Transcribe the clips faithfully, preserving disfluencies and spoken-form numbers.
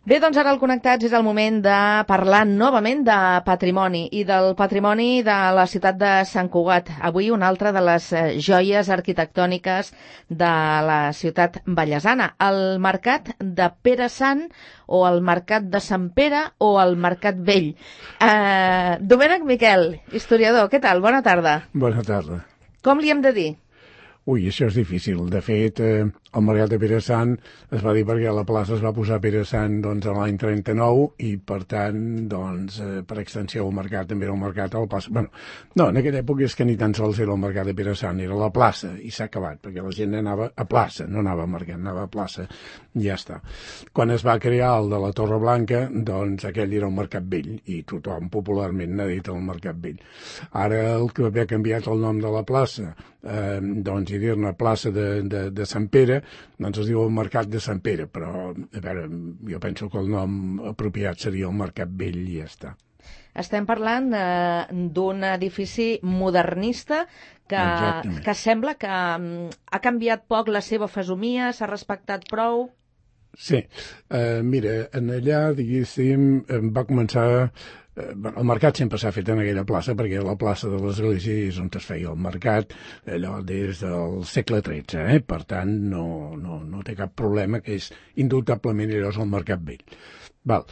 Bé, doncs ara al Connectats és el moment de parlar novament de patrimoni i del patrimoni de la ciutat de Sant Cugat. Avui una altra de les joies arquitectòniques de la ciutat vallesana, el Mercat de Pere Sant o el Mercat de Sant Pere o el Mercat Vell. Eh, Domènec Miquel, historiador, què tal? Bona tarda. Bona tarda. Com li hem de dir? Ui, això és difícil. De fet, eh, el Mercat de Pere Sant es va dir perquè la plaça es va posar Pere Sant doncs, a l'any trenta-nou i, per tant, doncs, eh, per extensió, el mercat també era un mercat a la plaça. Bueno, no, en aquella època és que ni tan sols era el Mercat de Pere Sant, era la plaça, i s'ha acabat, perquè la gent anava a plaça, no anava a mercat, anava a plaça, i ja està. Quan es va crear el de la Torre Blanca, doncs aquell era un mercat vell, i tothom popularment n'ha dit el Mercat Vell. Ara el que havia canviat el nom de la plaça, eh, doncs, i dir-ne plaça de, de, de Sant Pere, doncs es diu el Mercat de Sant Pere, però, a veure, jo penso que el nom apropiat seria el Mercat Vell i ja està. Estem parlant eh, d'un edifici modernista que, que sembla que um, ha canviat poc la seva fesomia, s'ha respectat prou. Sí, eh, mira, en allà, diguéssim, va començar... El mercat sempre s'ha fet en aquella plaça perquè la plaça de l'església és on es feia el mercat allò des del segle tretze, eh? Per tant no, no, no té cap problema, que és indubtablement allò és el Mercat Vell. Val.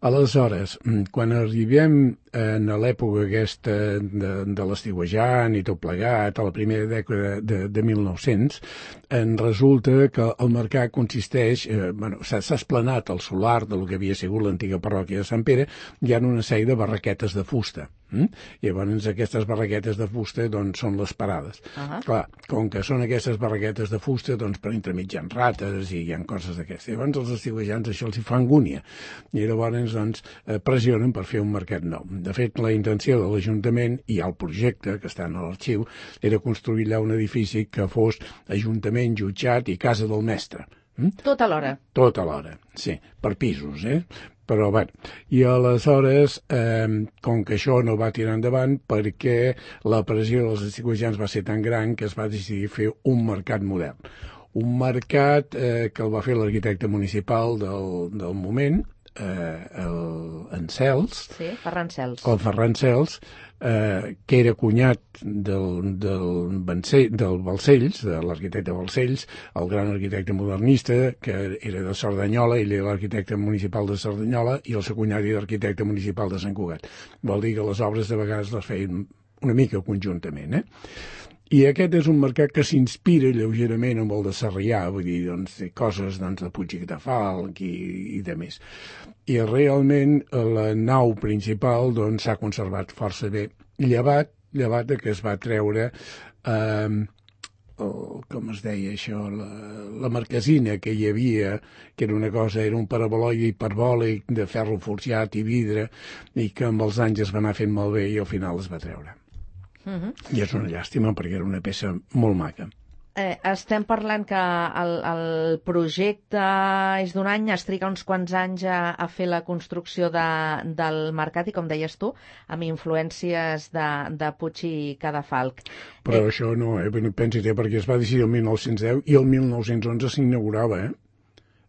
Aleshores, quan arribem en l'època aquesta de, de l'estiuejant i tot plegat, a la primera dècada de, de mil nou-cents, en resulta que el mercat consisteix, eh, bueno, s'ha esplanat el solar del que havia sigut l'antiga parròquia de Sant Pere, hi ha una sèrie de barraquetes de fusta. Mm? I llavors aquestes barraquetes de fusta doncs, són les parades. Uh-huh. Clar, com que són aquestes barraquetes de fusta, doncs per entremig hi ha rates i hi ha coses d'aquestes. Llavors els estiuejants això els hi fa angúnia. I llavors doncs, eh, pressionen per fer un mercat nou. De fet, la intenció de l'Ajuntament i el projecte, que està en l'arxiu, era construir allà un edifici que fos Ajuntament, jutjat i Casa del Mestre. Mm? Tot alhora. Tot alhora, sí, per pisos, eh? Però, bé, i aleshores, eh, com que això no va tirar endavant, perquè la pressió dels estiuejants va ser tan gran que es va decidir fer un mercat modern. Un mercat eh, que el va fer l'arquitecte municipal del, del moment, eh, el Encels. Sí, Ferran Cels. El Ferran Cels, eh, que era cunyat del, del, Bancell, del Balcells, de l'arquitecte Balcells, el gran arquitecte modernista, que era de Cerdanyola, ell era l'arquitecte municipal de Cerdanyola, i el seu cunyat era l'arquitecte municipal de Sant Cugat. Vol dir que les obres de vegades les feien una mica conjuntament, eh? I aquest és un mercat que s'inspira lleugerament amb el de Sarrià, vull dir, doncs, coses doncs, de Puig i Catafalc i, i de més. I realment la nau principal doncs, s'ha conservat força bé, llevat, llevat que es va treure, eh, el, com es deia això, la, la marquesina que hi havia, que era una cosa, era un paraboloide hiperbòlic de ferro forjat i vidre, i que amb els anys es va anar fent malbé i al final es va treure. Uh-huh. I és una llàstima perquè era una peça molt maca. Eh, estem parlant que el, el projecte és d'un any, es triga uns quants anys a, a fer la construcció de, del mercat i, com deies tu, amb influències de, de Puig i Cadafalc. Però eh... això no, eh? Pensi-te, perquè es va decidir el mil nou-cents deu i el mil nou-cents onze s'inaugurava, eh?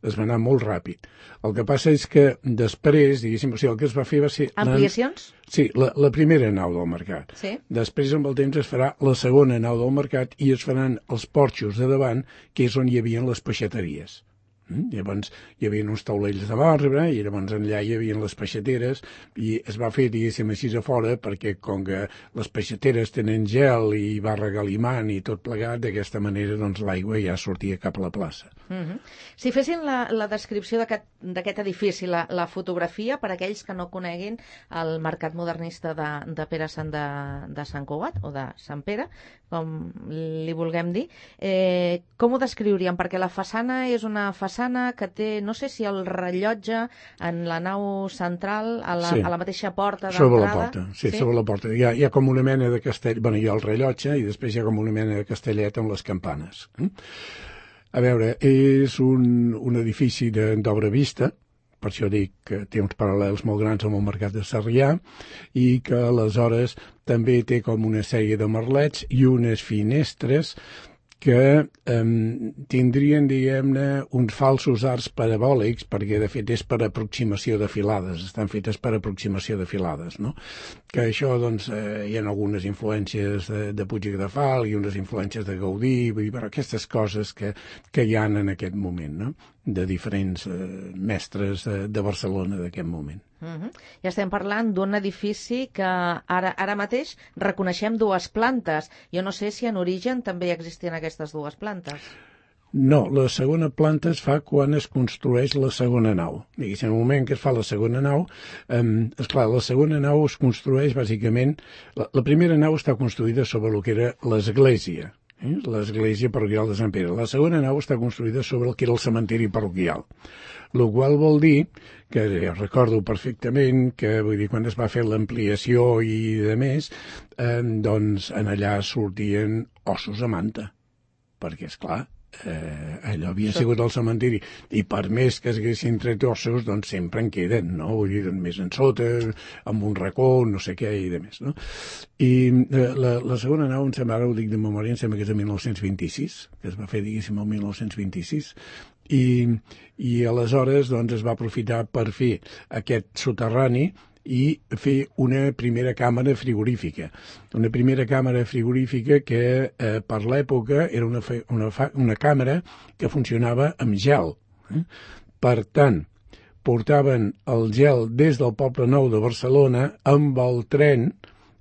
Es va anar molt ràpid. El que passa és que després, diguéssim, o sigui, el que es va fer va ser... Ampliacions? Sí, la, la primera nau del mercat. Sí. Després, amb el temps, es farà la segona nau del mercat i es faran els porxos de davant, que és on hi havia les peixateries. Mm? Llavors hi havia uns taulells de marbre i llavors allà hi havia les peixateres i es va fer, diguéssim, així a fora perquè com que les peixateres tenen gel i va regalimant i tot plegat, d'aquesta manera doncs l'aigua ja sortia cap a la plaça. Mm-hmm. Si fessin la, la descripció d'aquest edifici, la, la fotografia, per aquells que no coneguin el mercat modernista de, de Pere Sant de, de Sant Cugat o de Sant Pere, com li vulguem dir, eh, com ho descriuríem? Perquè la façana és una façana que té, no sé si el rellotge en la nau central, a la, sí. a la mateixa porta d'entrada. Sobre la porta, sí, sí, sobre la porta. Hi ha, hi ha com una mena de castell, bueno, hi ha el rellotge i després hi ha com una mena de castellet amb les campanes. A veure, és un, un edifici d'obra vista, per això dic que té uns paral·lels molt grans amb el mercat de Sarrià i que aleshores també té com una sèrie de merlets i unes finestres que eh, tindrien, diguem-ne, uns falsos arcs parabòlics, perquè de fet és per aproximació de filades, estan fetes per aproximació de filades, no? Que això, doncs, eh, hi ha algunes influències de, de Puig i Cadafal i unes influències de Gaudí, vull dir, però aquestes coses que, que hi ha en aquest moment, no? De diferents eh, mestres de, de Barcelona d'aquest moment. Uh-huh. Ja estem parlant d'un edifici que ara, ara mateix reconeixem dues plantes. Jo no sé si en origen també existien aquestes dues plantes. No, la segona planta es fa quan es construeix la segona nau. Diguéssim, en el moment que es fa la segona nau, eh, esclar, la segona nau es construeix bàsicament... La, la primera nau està construïda sobre el que era l'església, eh? l'església parroquial de Sant Pere. La segona nau està construïda sobre el que era el cementiri parroquial. El qual vol dir que ja recordo perfectament que, vull dir, quan es va fer l'ampliació i de més, eh, doncs en allà sortien ossos a manta, perquè, és clar, eh, allò havia Això... sigut el cementiri, i per més que es haguessin tret ossos, doncs sempre en queden, no? Vull dir, més en sota, amb un racó, no sé què, i de més, no? I eh, la, la segona nau, em sembla, ara ho dic de memòria, em sembla que és de mil nou-cents vint-i-sis, que es va fer, diguéssim, el mil nou-cents vint-i-sis, i, i aleshores doncs, es va aprofitar per fer aquest soterrani i fer una primera càmera frigorífica. Una primera càmera frigorífica que eh, per l'època era una, una, una càmera que funcionava amb gel. Eh? Per tant, portaven el gel des del Poble Nou de Barcelona amb el tren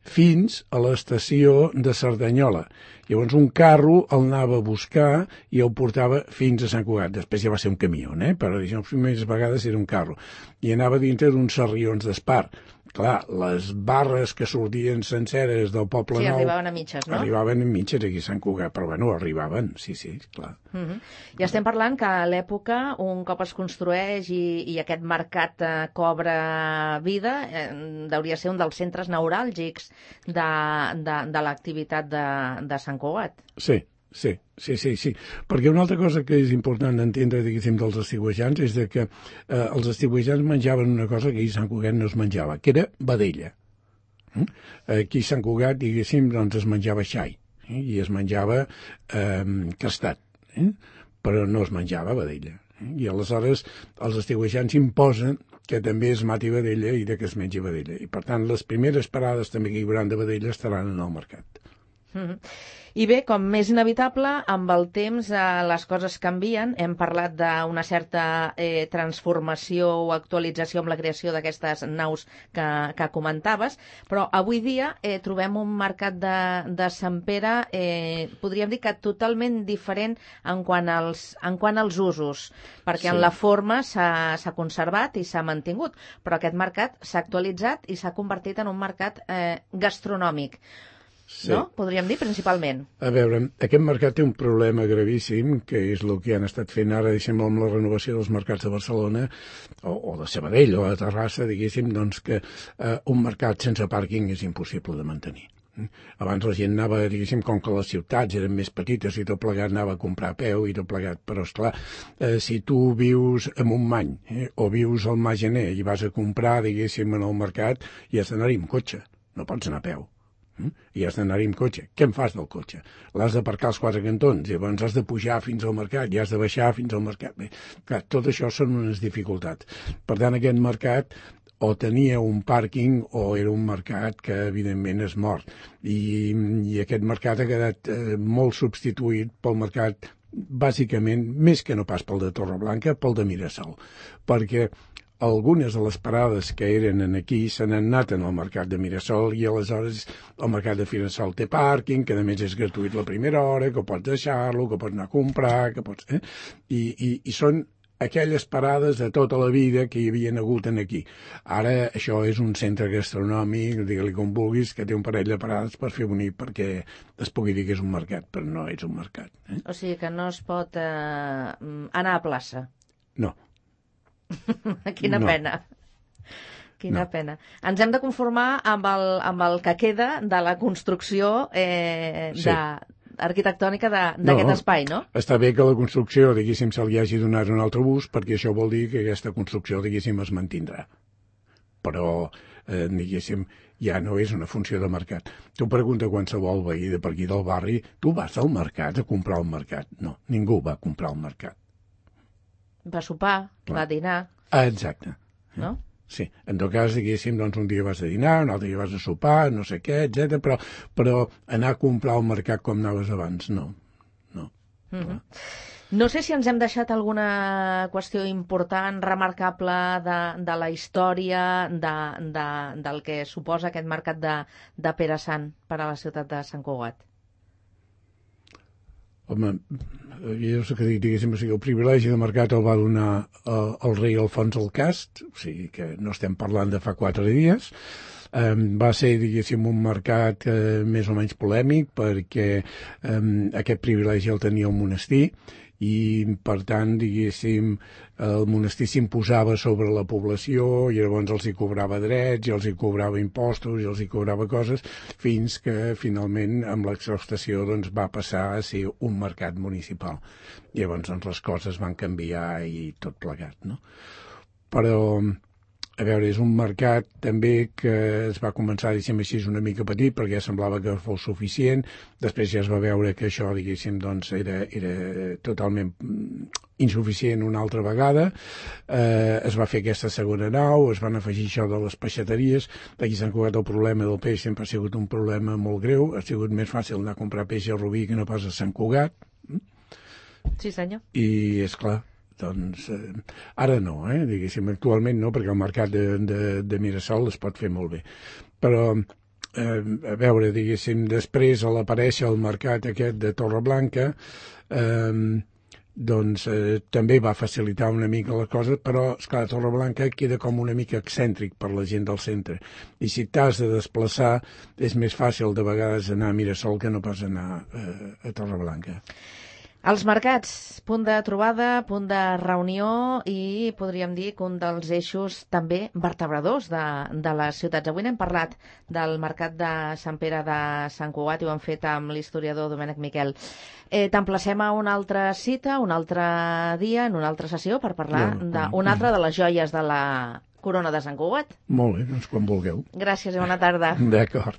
fins a l'estació de Cerdanyola. Llavors un carro el anava a buscar i el portava fins a Sant Cugat. Després ja va ser un camió, eh? Però les primeres vegades era un carro. I anava dintre d'uns sarrions d'espar. Clar, les barres que sortien senceres del Poble sí, Nou... Sí, arribaven a mitges, no? Arribaven a mitges aquí a Sant Cugat, però bueno, arribaven, sí, sí, clar. Uh -huh. Ja estem parlant que a l'època, un cop es construeix i, i aquest mercat eh, cobra vida, eh, hauria ser un dels centres neuràlgics de, de, de l'activitat de, de Sant Cugat. Sí. Sí, sí, sí, sí. Perquè una altra cosa que és important entendre, diguéssim, dels estiuejants és de que eh, els estiuejants menjaven una cosa que aquí a Sant Cugat no es menjava, que era vedella. Mm? Aquí a Sant Cugat, diguéssim, doncs es menjava xai, eh? I es menjava eh, castat, eh? Però no es menjava vedella. Eh? I aleshores els estiuejants imposen que també es mati vedella i de que es mengi vedella. I per tant, les primeres parades també que hi haurà de vedella estaran en el mercat. Mm-hmm. I bé, com és inevitable, amb el temps eh, les coses canvien. Hem parlat d'una certa eh, transformació o actualització amb la creació d'aquestes naus que, que comentaves, però avui dia eh, trobem un mercat de, de Sant Pere, eh, podríem dir que totalment diferent en quant als, en quant als usos, perquè sí. En la forma s'ha conservat i s'ha mantingut, però aquest mercat s'ha actualitzat i s'ha convertit en un mercat eh, gastronòmic. Sí. No? Podríem dir, principalment. A veure, aquest mercat té un problema gravíssim, que és el que han estat fent ara, diguéssim, amb la renovació dels mercats de Barcelona, o, o de Sabadell, o de Terrassa, diguéssim, doncs que eh, un mercat sense pàrquing és impossible de mantenir. Abans la gent anava, diguéssim, com que les ciutats eren més petites i tot plegat anava a comprar a peu i tot plegat, però esclar, eh, si tu vius a Montmany eh, o vius al Magener i vas a comprar, diguéssim, en el mercat, i has d'anar-hi amb cotxe, no pots anar a peu. I has d'anar-hi amb cotxe. Què en fas del cotxe? L'has d'aparcar als quatre cantons, llavors has de pujar fins al mercat i has de baixar fins al mercat. Bé, clar, tot això són unes dificultats. Per tant, aquest mercat o tenia un pàrquing o era un mercat que, evidentment, és mort. I, i aquest mercat ha quedat eh, molt substituït pel mercat, bàsicament, més que no pas pel de Torreblanca, pel de Mirasol. Perquè algunes de les parades que eren aquí se n'han anat en el mercat de Mirasol i aleshores el mercat de Mirasol té pàrquing, que a més és gratuït la primera hora, que pots deixar-lo, que pots anar a comprar, que pots... Eh? I, i, I són aquelles parades de tota la vida que hi havien hagut en aquí. Ara això és un centre gastronòmic, digue-li com vulguis, que té un parell de parades per fer bonic perquè es pugui dir que és un mercat, però no és un mercat. Eh? O sigui que no es pot eh, anar a plaça. No. Quina no. pena. Quina no. pena. Ens hem de conformar amb el, amb el que queda de la construcció eh, sí. de, arquitectònica d'aquest no, espai, no? Està bé que la construcció, diguéssim, se li hagi donat un altre ús, perquè això vol dir que aquesta construcció, diguéssim, es mantindrà. però, eh, diguéssim, ja no és una funció de mercat. Tu pregunta qualsevol veí de per aquí del barri, tu vas al mercat a comprar al mercat? No, ningú va comprar al mercat. Va sopar, Clar. va dinar. Ah, exacte. No? Sí, en tot cas, diguéssim, doncs un dia vas a dinar, un altre dia vas a sopar, no sé què, etcètera, però, però anar a comprar al mercat com anaves abans, no. No. Mm-hmm. No sé si ens hem deixat alguna qüestió important, remarcable de, de la història de, de, del que suposa aquest mercat de, de Pere Sant per a la ciutat de Sant Cugat. Home, jo sé que diguéssim, o sigui, el privilegi de mercat el va donar el, el rei Alfons el Cast, o sigui que no estem parlant de fa quatre dies. Um, va ser, diguéssim, un mercat uh, més o menys polèmic perquè um, aquest privilegi el tenia el monestir i, per tant, diguéssim, el monestir s'imposava sobre la població i llavors els hi cobrava drets i els hi cobrava impostos i els hi cobrava coses fins que, finalment, amb l'exhaustació doncs, va passar a ser un mercat municipal. I llavors doncs, les coses van canviar i tot plegat, no? Però, a veure, és un mercat també que es va començar, diguéssim així, una mica petit perquè semblava que fos suficient. Després ja es va veure que això, diguéssim, doncs era, era totalment insuficient una altra vegada. Eh, es va fer aquesta segona nau, es van afegir això de les peixateries. Aquí a Sant Cugat el problema del peix sempre ha sigut un problema molt greu. Ha sigut més fàcil anar a comprar peix a Rubí que no pas a Sant Cugat. Sí, senyor. I, és clar, doncs, eh, ara no, eh? Diguéssim, actualment no, perquè el mercat de, de, de Mirasol es pot fer molt bé. Però, eh, a veure, diguéssim, després a l'aparèixer el mercat aquest de Torreblanca, eh, doncs eh, també va facilitar una mica les coses, però, esclar, Torreblanca queda com una mica excèntric per la gent del centre. I si t'has de desplaçar, és més fàcil de vegades anar a Mirasol que no pas anar eh, a Torreblanca. Els mercats, punt de trobada, punt de reunió i podríem dir que un dels eixos també vertebradors de, de les ciutats. Avui n'hem parlat del mercat de Sant Pere de Sant Cugat i ho hem fet amb l'historiador Domènec Miquel. Eh, T'emplacem a una altra cita, un altre dia, en una altra sessió per parlar ja, d'una altra de les joies de la corona de Sant Cugat. Molt bé, doncs quan vulgueu. Gràcies i bona tarda. D'acord.